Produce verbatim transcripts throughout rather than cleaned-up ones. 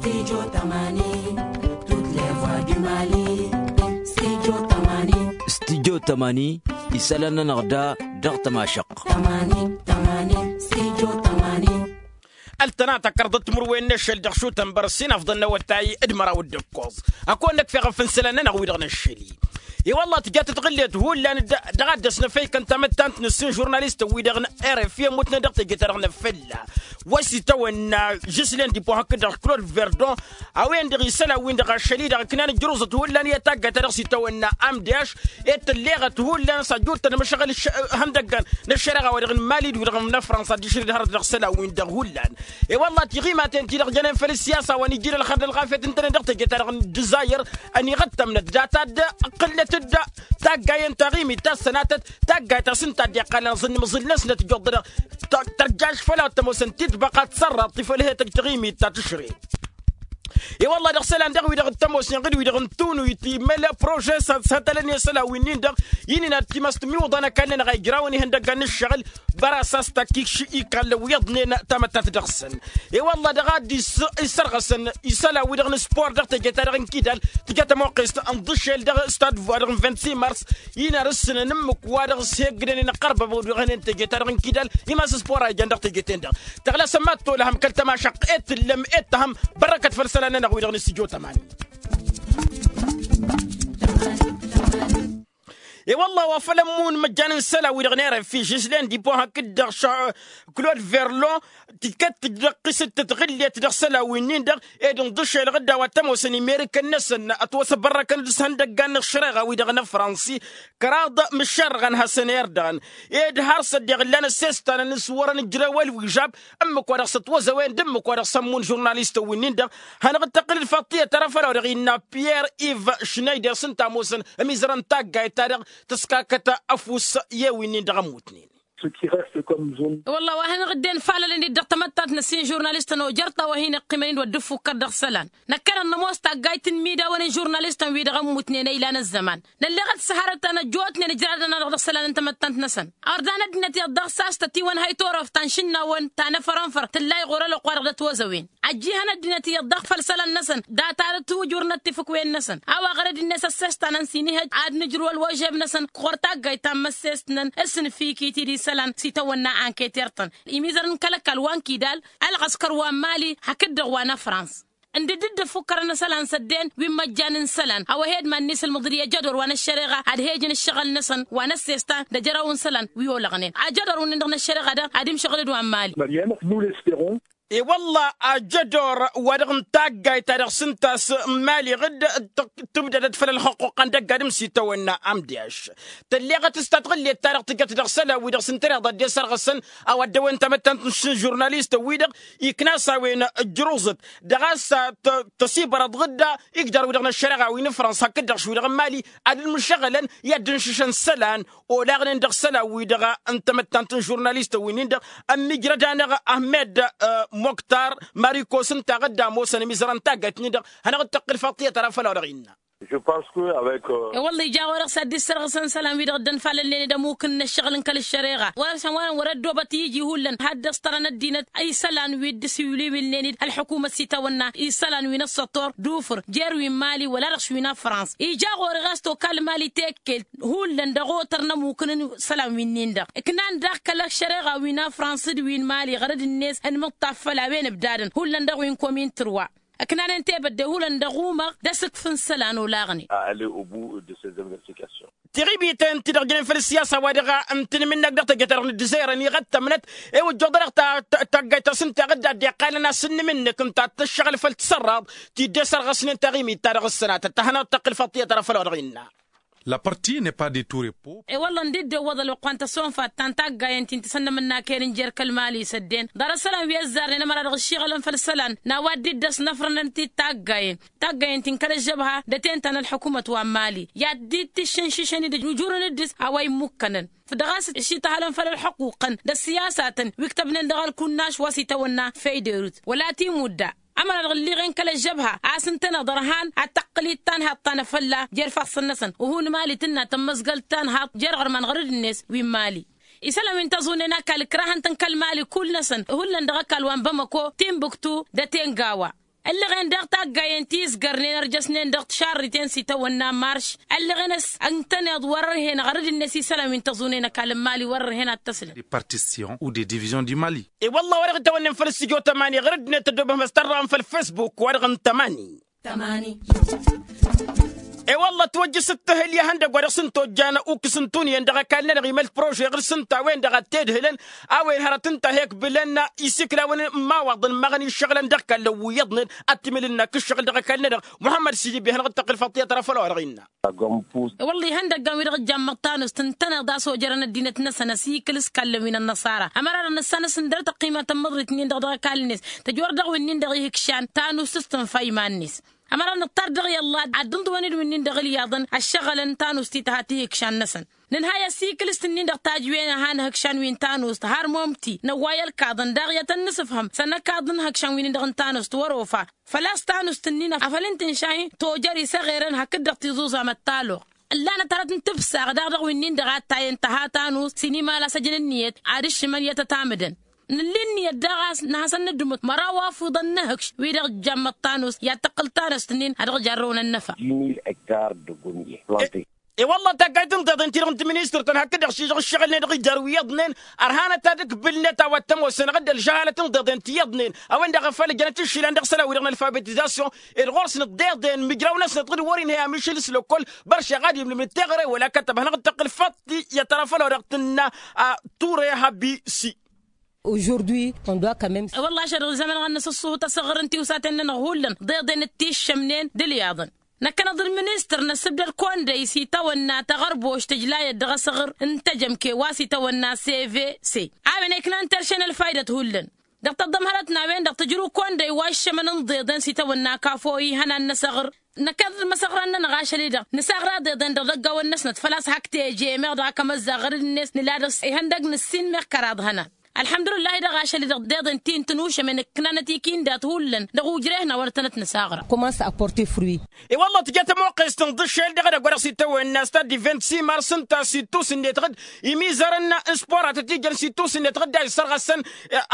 Studio tămani. Studio tămani. Isălan-nănăɣ da dăɣ-tămašăqq. Tămani. Tămani. Studio tămani. Ăltăna takărḍăt timǝrwen n-ašăl dăɣ-šutăn bărăs inafḍăn n-awătay d-măraw d-ǝkkoẓ. Ad-kăwăn-năkf eɣăf n-isălan-nănăɣ wi-dăɣ n-ašăl-i. I-wălla tǝja tǝtɣǝllet hullan dăɣ-ad-dăɣ-s năfăykăn tamăttant n-ǝssin žurnalistăn-wi-dăɣ n-rfi ămmutnen dăɣ-teje-ta-dăɣ n-afălla wa s-itawănna žislen dipo hakd-dăɣ klod verdon. A-wen-dăɣ isălan-win-dăɣ ašăl-i-dăɣ ǝknan ǝjruẓăt hullan i-taggayt ta dăɣ-s itawănna amdiaš. Ed tǝlleɣăt hullan s-ajut-tăn măšăɣăl ihăndăggan n-ăššăreɣa wa dăɣ-n-mali d-wi-dăɣ n-afrănsa d-išrǝd hărăt dăɣ-isălan-win-dăɣ hullan. I-wălla tiɣimaten-ti-dăɣ jănen făll-ǝssiyasa wa n-ijil ălxăr d-ălɣafyăt ǝntănen dăɣ-teje-ta-dăɣ n-dizayăr. Ăniɣăttămnăt data-dd ǝqqǝlnăt-dd taggayen taɣimit ta s-sănatăt. Taggayt ta s-ǝnta a dd-iqqălăn aẓǝnnǝm aẓǝl-năsnăt ijjuḍ-dăɣ tărjaš făll-a tămoosăn titbăqa d-sărraḍt ti făll-he-tăjj taɣimit ta tǝšre. I-wălla dăɣ-isălan dăɣ-wi-dăɣ d-tămoosnen ɣǝd-wi-dăɣ n-tunuyt immăl prože s-ad-sătălăn i-isălan-winnin-dăɣ. Inǝnat timăst miwǝḍan ăkall-nănăɣ a ijrawăn ihăndăggan n-ǝššăɣǝl bărasas takikš ikallăn wi iḍnen tamăttat dăɣ-săn. I-wălla dăɣ-ad-dd-issărɣăsăn isălan-wi-dăɣ n-spor dăɣ-teje-ta-dăɣ n-kidal tǝja tămoqqest ǝnḍǝšel dăɣ-stad wa dăɣ-n vingt-six mars. Inarǝssǝnăn ǝmmǝk wa dăɣ-s heggǝdăn inăqqărbăbăw dăɣ-hănen teje-ta-dăɣ n-kidal. Imas spor a ijăn dăɣ-teje-ten-dăɣ tăɣlasăn mad-tolăhăm kăl-tămašăqq ed tǝllăm ed tăhăm. Bărrăkăt făll-isălan-nănăɣ wi-dăɣ n-stujo tămani. I-wălla wa făl ămmun măjjan n-isălan-wi-dăɣ n-erăfi žislen dipo hakd-dăɣ klod verlo. Tikăt tǝjrăqqisăt tătɣǝllet dăɣ-isălan-winnin-dăɣ ed ǝnḍǝšelăɣ-dd a-wa t-ămoosăn imerikăn-năsăn ătwăsăbărrăkăn d-ishăndăggan n-ăššăreɣa-wi-dăɣ n-afrănsi. Kăraḍ mǝššărrăɣăn hasăn-erdăɣăn ed har s-ăddeɣ ǝllan ăssestan n-iswărăn ǝjrewăl wi žab. Ǝmmǝk wa dăɣ-s ătwăzăwen d-ǝmmǝk wa dăɣ-s ămmun žurnalistăn-winnin-dăɣ. Hanăɣ-dd-tăqqǝl-dd faḍt tiyyăt ara făll-a-wa dăɣ-innă piyer iv šnăyder s-ǝnta a ămoosăn ămizărăn taggayt-ta-dăɣ tǝskakăt ăfuss i-ewin-in-dăɣ ămmutnen. Ce qui reste comme zone. Wălla wa hanăɣ-dd-infalălăn-dd dăɣ-tamăttant n-ăssin žurnalistăn ojăr ta wa hin-iqqimăn-in wăr dd-ǝffukkăr dăɣ-isălan. Năkkăneḍ nămoos taggayt n-imidawăn n-žurnalistăn-wi-dăɣ ămmutnen ăylan ăzzăman. Nălleɣăt s-hărăt ta năjjootnen ǝjradăn-anăɣ dăɣ-isălan n-tamăttant-năsăn. Ărdăn ăddinăt iyyăḍ daɣ s-a-s tătiwănhăy turăft ta n-išǝnnawăn ta n-afărănfăr tǝllay ɣur-ălwăqq-wa-dăɣ d-ătwăzăwen. Ăjjǝyhăn ăddinăt iyyăḍ daɣ făll-isălan-năsăn data-dăɣ tǝwǝjur n-ăttifǝkwen-năsăn. A-wa ɣărăd-net ăssestănăn s-inǝhhăj ad-nǝjrǝw ălwăžeb-năsăn ɣur-taggayt ta n-imăssest-nănăn s-nǝfikit-dd isălan s-itawănna anketer-tăn. Imizărăn kăl-ăkall wa n-kidal ălɣăskăr wa n-mali hakd-dăɣ wa n-afrans. Ǝndǝd-dd ăffukkărăn isălan s-ăddeen wi n-măjjan n-isălan a-wa he-dd iman-net ǝlmǝḍǝl i-ajădor wa n-ăššăreɣa ad-he-ǝjǝn ǝššăɣǝl-năsăn wa n-ăssestan d-ajăraw n-isălan wi olăɣnen ajădor-wǝnnin-dăɣ n-ăššăreɣa-dăɣ ad-imšăɣǝl d-wa n-mali. Mariana, nous l'espérons. E-wălla ajădor wa dăɣ-n taggayt ta dăɣ-s ǝnta a-s n-mali ɣǝd tǝbdădăt făll-ălxăqquqăn d-ăgg-adǝm s-itawănna amdiaš. Tălleɣăt s-tatɣǝllet-ta-dăɣ tǝjăt dăɣ-isălan-wi-dăɣ s-ǝntăneḍ a dd-esărɣăsăn a-wa dd-ăwwen tamăttant n-žurnalistăn-wi-dăɣ ikna-s a-wen ǝjruẓăt. Dăɣ-a-s tăsibărăḍ ɣǝdda igdar-wi-dăɣ n-ăššăreɣa wi n-afrănsa hakd-dăɣ š-wi-dăɣ n-mali ad-ǝlmǝšăɣălăn i-ad-dd-ǝnšǝšăn isălan olaɣnen dăɣ-isălan-wi-dăɣ n-tamăttant n-žurnalistăn-wi-nin-dăɣ. Ămmiijrăd-anăɣ ahmed moktar marikos ǝnta a ɣǝdda ămoosăn ămizărăn taggayt-nin-dăɣ. Hanăɣ-dd-tăqqǝl faḍt tiyyăt ara făll-a-wa dăɣ-innă. Je pense que avec. E-wălla ija ɣur-dăɣ s-ad-dd-issărɣǝsăn isălan-wi-dăɣ dd-ănfalălnen d-ămukǝn n-ǝššăɣǝl n-kăl-ăššăreɣa wăr-ăsăn wăren wăr-ăddoobăt i-iji hullan had-dd-ăstărăn ăddinăt isălan wi dd-ăsiwǝlwǝlnen-dd ălḥukumăt s-itawănna isălan wi n-ăssător d-ufǝr jer-wi n-mali wăla dăɣ-š wi n-afrans. Ija ɣur-e ɣas tokal mali tekkelt hullan dăɣ-otăr n-ămukǝn n-isălan winnin-dăɣ ǝknan daɣ kăl-ăššăreɣa wi n-afrans d-wi n-mali ɣărăd-net ănmǝṭṭaf făll-a-wen ǝbdadăn hullan dăɣ-wi n-komin tărwa. Ǝknanen tebădde hullan dăɣ-umăɣ d-asǝkf n-isălan olaɣnen. A aller au bout de ces investigations. Tiɣibiten ti-dăɣ jănen făll-ăssiyasa wa dăɣ-ǝntǝnmǝnnăk dăɣ-teje-ta-dăɣ n-ǝddǝzăyrăn iɣăttămnăt. Ewăjjoḍ-dăɣ taggayt ta s-ǝnta ɣǝdda dd-iqqalăn asǝnnǝmǝnnǝk ǝnta ad-tǝššăɣǝl făll-tisărraḍ ti dd-esărɣăsnen taɣimit-ta-dăɣ ǝssănatăt ta hanăɣ-dd-tăqqǝl faḍt tiyyăt ara făll-a-wa dăɣ-innă. La partie n'est pas de tout repos. E-wălla ǝndi dd-iwwăḍ ălwăqq wa n-tăsonfat ta n-taggayen ti n-tisănnămănnaken n-jer-kăl-mali s-ăddeen ḍarăt isălan wi ăzzarnen ămăra dăɣ-ǝššiɣălăn făll-isălan n-a-wa dd-iddăs n-afrănăn-t-dd taggayen taggayen ti n-kăl-ăžžăbha d-ătenta n-ălḥukumăt wa n-mali i-ad-dd-tǝššǝnšǝšăn-dd ǝjujurăn-dd a-wa immukkanăn. Făl-dăɣ a-s ǝššităhălăn făll-ălxuquqăn d-ăssiyasatăn wi ǝktăbnen dăɣ-ălkunnaš wa s-itawănna făyderut wăla timudda. Ămăra dăɣ-ǝlliɣen kăl-ăžžăbha a-s ǝntăneḍ ărhan ad-tăqqǝl-dd tanhaḍt ta n-afălla jer-ifassăn-năsăn. Uhǝn mali tǝnna tămmăzgăl tanhaḍt jer-iɣărman ɣărăd-net wi n-mali. Isălan wi n-tăẓunnen ăkall ǝkrahăn-tăn kăl-mali kull-năsăn hullan dăɣ-ăkall wa n-bamăko timbuktu d-ătengawa. Ăllăɣen daɣ taggayen ti ǝzgărnen ărjăsnen dăɣ-tišarriten s-itawănna marš. Ăllăɣen a-s ǝntăneḍ wăr-ărhen ɣărăd-net isălan wi n-tăẓunen ăkall n-imali wăr-ărhen ad-t-ăslăn. Partition ou de division du mali. I-wălla wa dăɣ-itawănnen făll-s tijot ămani ɣărăd-net ăddobăhăm ăstărrăɣăm făll-facebook wa dăɣ-n tămani. I-wălla ătwăjjăš ǝttǝhǝl i-ihăndăgg wa dăɣ-s n-tojjan ukǝs n-tunǝyăn dăɣ-ăkall-nănăɣ imăl prože ɣǝr-s ǝnta a-wen-dăɣ a t-edhǝlăn. A-wen hărăt ǝnta a he-ǝkbǝlăn isikla-wen n-imawaḍăn măɣăn iššăɣǝlăn dăɣ-kallăn wi iyyăḍnen ad-t-imǝl ǝnnak ǝššăɣǝl dăɣ-ăkall-nănăɣ. Muhămmăd sidi bi-hanăɣ-dd-tăqqǝl faḍt i-ad-tăra făll-a-wa dăɣ-innă. I-wălla ihăndăggan wi dăɣ-ǝjjammăḍ tanust ǝntăneḍ a-s ojerăn ăddinăt-năsăn ăsikǝl s-kallăn wi n-ănnăṣara ămăra-dăɣ nǝssanăs ǝndăr tăqqimat n-imǝḍrit-nin-dăɣ dăɣ-ăkall-net. Tǝjwăr dăɣ-wi-nin-dăɣ ihǝkšan tanust s-tǝnfa iman-net. Ămăra nǝṭṭar dăɣ-i ălla ad-dd-ǝnḍǝwăn-dd wi-nin-dăɣ ǝlyaḍăn ăššăɣǝlăn tanust-ti tăha tihǝkšan-năsăn. Nǝnhăy ăsikǝl s-tǝnnin-dăɣ tajwen a hanăhǝkšan wi n-tanust har momti năwway ălkaḍăn daɣ i-ad-tăn-nǝsǝfhăm s-ănăkaḍ n-ihǝkšan wi-nin-dăɣ n-tanust wăr-ofa. Făl-a-s tanust-ǝnnin afăl ǝnta n-išahi tojăr isăɣerăn hakd-dăɣ tiẓuẓam ăttaloɣ. Ǝllanăt hărăt n-tǝbsaɣ daɣ dăɣ-wi-nin-dăɣ a t-tayăn tăha tanust s-inimal a-s ăjăn ǝnniyăt ad-ǝššǝmăn i-ad-tăt-amǝdăn. Nǝlli ǝnniyăt daɣ a-s nǝhasăn-nǝddǝmǝt măraw afuḍăn n-ehǝkš wi-dăɣ ǝjjammăḍ tanust i-ad-tăqqǝl tanust-nin a dăɣ-jarrăwăn ănnăfa. I-wălla taggayt n-tiḍeḍen-ti-dăɣ n-tiministăr-tăn hakd-dăɣ šižăɣ ǝššăɣǝl-net dăɣ-ijar wi iyyăḍnen ărhanăt ad-ǝkbǝlnet a-wa t-ămoosăn ăɣǝddăl žăhalăt n-tiḍeḍen ti iyyăḍnen a-wen-dăɣ a făl ǝjănăt iššilăn dăɣ-isălan-wi-dăɣ n-alfabetizasyon ed ɣur-snăt tiḍeḍen mǝjraw-năsnăt ɣǝd wăr-inhăy amǝšǝl s-lăkkol. Băršeɣ ad-imlǝmǝd teɣăre wăla kătăb hanăɣ-dd-tăqqǝl făṭṭi i-ad-tăra făll-a-wa dăɣ-tǝnna. Ture habisi. Aujourd'hui on doit quand meme. Wălla ašăl dăɣ-izămăn ɣăn năsǝṣṣuhǝt asăɣăr n-tiwsaten-nănăɣ hullan ḍeḍen d-tiššămnen d-ǝlyaḍăn. Năkkăneḍ d-ministăr n-asǝbdăd kondăy s-itawănna taɣărboš tǝjlayăt dăɣ-asăɣăr n-tejămke wa s-itawănna cvc. A-wen a iknan terše n-ălfaydăt hullan dăɣ-tăḍḍămhărăt n-a-wen-dăɣ tǝjrǝw kondăy wa iššămăn n-ḍeḍen s-itawănna kafo ihănan n-asăɣăr. Năkkăneḍ d-imăsăɣran-nănăɣ ašăl-i-dăɣ nǝsaɣra ḍeḍen dăɣ-idăggawăn-năsnăt făl-a-s hak teje meɣ dăɣ-ak ămăzzaɣ ɣărăd-net nǝla dăɣ-s ihăndăg nǝssin meɣ kăraḍ hănan. Ălḥămdulǝllahi dăɣ-ašăl-i-dăɣ ḍeḍen ti n-tănušămen ǝknanăt ikindat hullan dăɣ-ujreh n-a wăr tănăt-năsaɣra. Commence à porter fruit. I-wălla tǝja tămoqqest n-iḍǝššel dăɣ-edăgg wa dăɣ-s itawănna stad d-vint simar s-ǝnta s-ittus-net ɣǝd imizărăn n-spor a tăt-ijăn s-ittus-net ɣǝd a isărɣăsăn.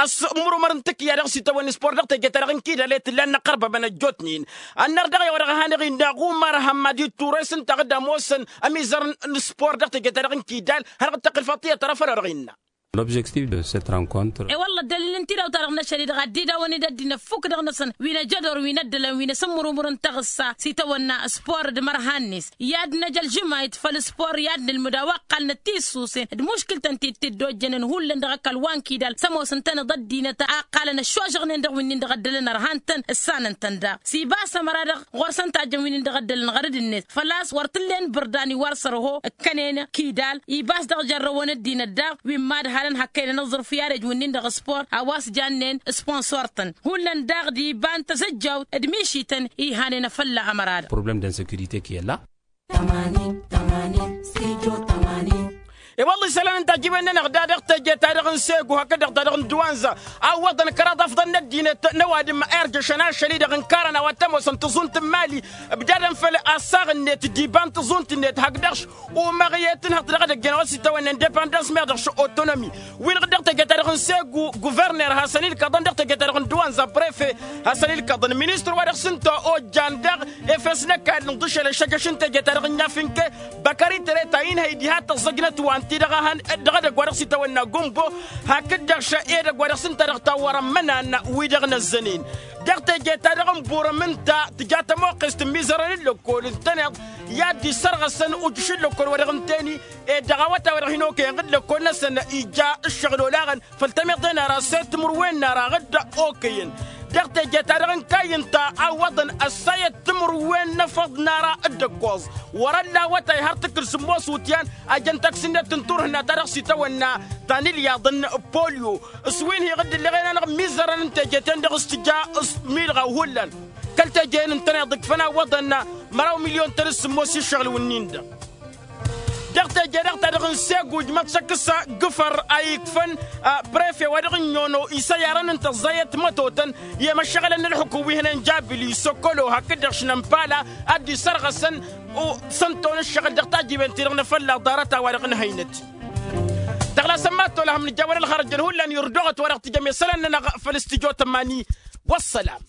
Ăsmurmăr n-tǝkǝya dăɣ-s itawănna spor dăɣ-teje-ta-dăɣ n-kidal i-tǝllan n-iqărbăbăn ăjjootnen. Ănnăr dăɣ-i-wa dăɣ-hanăɣ-innă ɣumar hămmad i-turres ǝnta ɣǝd ămoosăn ămizărăn n-spor dăɣ-teje-ta-dăɣ n-kidal. Hanăɣ-dd-tăqqǝl faḍt i-ad-tăra făll-a-wa dăɣ-innă. L'objectif de cette rencontre. I-wălla ăddălil n-tidawt-ta-dăɣ n-ašăl-i-dăɣ a dd-idawăn-dd ăddinăt fukk dăɣ-năsăn wi n-ajădor wi n-ăddălăn wi n-asǝmmurǝmur n-taɣǝssa s-itawănna spor d-imărhan-net. I-ad-năj ălžǝmayt făll-spor i-ad-nǝlmǝd a-wa ǝqqalnăt tisusen d-muškǝl-tăn ti t-dd-ojjănen hullan dăɣ-ăkall wa n-kidal s-ămoosăn-tăn-dd ăddinăt a ǝqqalăn ăššožăɣnen dăɣ-wi-nin-dăɣ ăddălăn ărhan-tăn ǝssanăn-tăn daɣ s-ibas ămăra-dăɣ ɣur-săn tajjăn wi-nin-dăɣ ăddălăn ɣărăd-net făl-a-s wăr t-ǝllen bǝrdan iwar sărho ǝkkănen kidal. Ibas dăɣ-jărrăwăn ăddinăt daɣ wi n-imadhalăn hăkkăynen ăẓẓărf i-ad-ăj wǝnnin dăɣ-spor a-wa s-jannen sponsor-tăn hullan daɣ d-iba n-tazăjjawt d-mišităn ihanen afălla ămăra-dăɣ. Problème d'insécurité qui est là. I-wălla isălan n-tajjiwen-nănăɣ da dăɣ-teje-ta-dăɣ n-segu hakd-dăɣ ta-dăɣ n-duwanza a ǝwwăḍăn kăraḍ afḍăn n-ăddinăt n-ăwadǝm a irjăšăn ašăl-i-dăɣ ǝnkarăn a-wa t-ămoosăn tǝẓunt n-imali. Ǝbdadăn făll-assaɣ-net d-iba n-tǝẓunt-net hakd-dăɣ-š umăɣ i-tǝnhăḍt dăɣ-edăgg-en a-wa s-itawănnen depandans meɣ dăɣ-š otonomi. Win dăɣ-teje-ta-dăɣ n-segu guverner hasăn-ilkăḍăn dăɣ-teje-ta-dăɣ n-duwanza prefe hasăn-ilkăḍăn ministăr wa dăɣ-s ǝnta ojjan dăɣ-efes n-ăkall n-iḍǝšel ăššăjăš n-teje-ta-dăɣ n-iafǝnke. Băkări tăreta inhăy diha tăẓẓăjnăt wa ǝnta-i-dăɣ a hăn dăɣ-edăgg wa dăɣ-s itawănna gumbo hakd-dăɣ šăy edăgg wa dăɣ-s ǝnta dăɣ-tawwărăn imănan wi-dăɣ năzzănen. Dăɣ-teje-ta-dăɣ n-burăm ǝnta tǝja tămoqqest n-imizărăn n-lăkkol ǝntăneḍ i-ad-dd-isărɣăsăn ujǝš n-lăkkol wa dăɣ-ǝntăni. Ed dăɣ-awătay wa dăɣ-hin-okăyăn ɣǝd lăkkol-năsăn ija ǝššăɣǝl olaɣăn făll-tămiḍe n-ara s-e-d timǝrwen n-ara ɣǝd okăyăn. Dăɣ-teje-ta-dăɣ n-kayy ǝnta a ǝwwăḍăn ăssayăt timǝrwen n-efăḍ n-ara dd-ǝkkoẓ wăr-ălla awătay har tǝkkǝl sǝmmos iwǝtyan. A jăn taksi-net n-turhǝnna ta dăɣ-s itawănna ta n-ilyaḍ n-polyo s-wi n-hi-ɣǝdd ǝlleɣen-anăɣ imizărăn n-teje-ten-dăɣ s-tǝja s-milɣaw hullan. Kăl-teje-en ǝntăneḍ ǝkfăn a ǝwwăḍăn măraw milyon-tăn d-sǝmmos i-ǝššăɣǝl wǝnnin-dăɣ. Dăɣ-teje-dăɣ ta dăɣ-n seguj mătšăk s-agǝfăr a ikfăn prefe wa dăɣ-n nyono isăyarăn n-tăẓẓayăt mătotăn i-emăššăɣǝlăn n-ǝlxǝkum wi hănen jabili sokolo hakd-dăɣ šnămpala ad-dd-isărɣăsăn. Săn-ton ǝššăɣǝl dăɣ-tajjiwen-ti-dăɣ n-afălla ḍarăt a-wa-dăɣ n-hăynăt. Tăɣlasăn mad-tolăhăm nǝjawăn ălxărăjăn hullan irduɣăt wa dăɣ-tijăm i-isălan-nănăɣ făll-studyo tămani. Wăssălam.